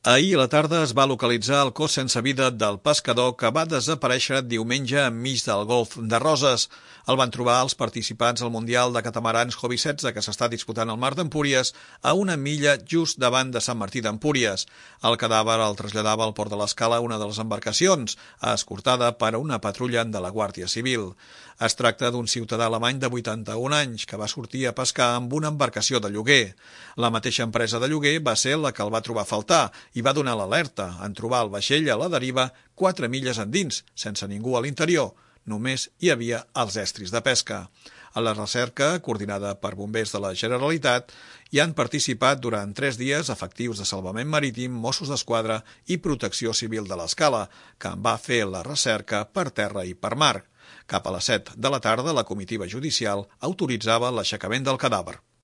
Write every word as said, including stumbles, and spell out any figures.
Ahir a la tarda es va localitzar el cos sense vida del pescador que va desaparèixer diumenge enmig del golf de Roses. El van trobar els participants al Mundial de Catamarans Hobby setze, que s'està disputant al mar d'Empúries, a una milla just davant de Sant Martí d'Empúries. El cadàver el traslladava al port de l'Escala una de les embarcacions, escortada per una patrulla de la Guàrdia Civil. Es tracta d'un ciutadà alemany de vuitanta-un anys que va sortir a pescar amb una embarcació de lloguer. La mateixa empresa de lloguer va ser la que el va trobar a faltar i va donar l'alerta en trobar el vaixell a la deriva quatre milles endins, sense ningú a l'interior. Només hi havia els estris de pesca. A la recerca, coordinada per bombers de la Generalitat, hi han participat durant tres dies efectius de salvament marítim, Mossos d'Esquadra i Protecció Civil de l'Escala, que en va fer la recerca per terra i per mar. Cap a les set de la tarda, la comitiva judicial autoritzava l'aixecament del cadàver.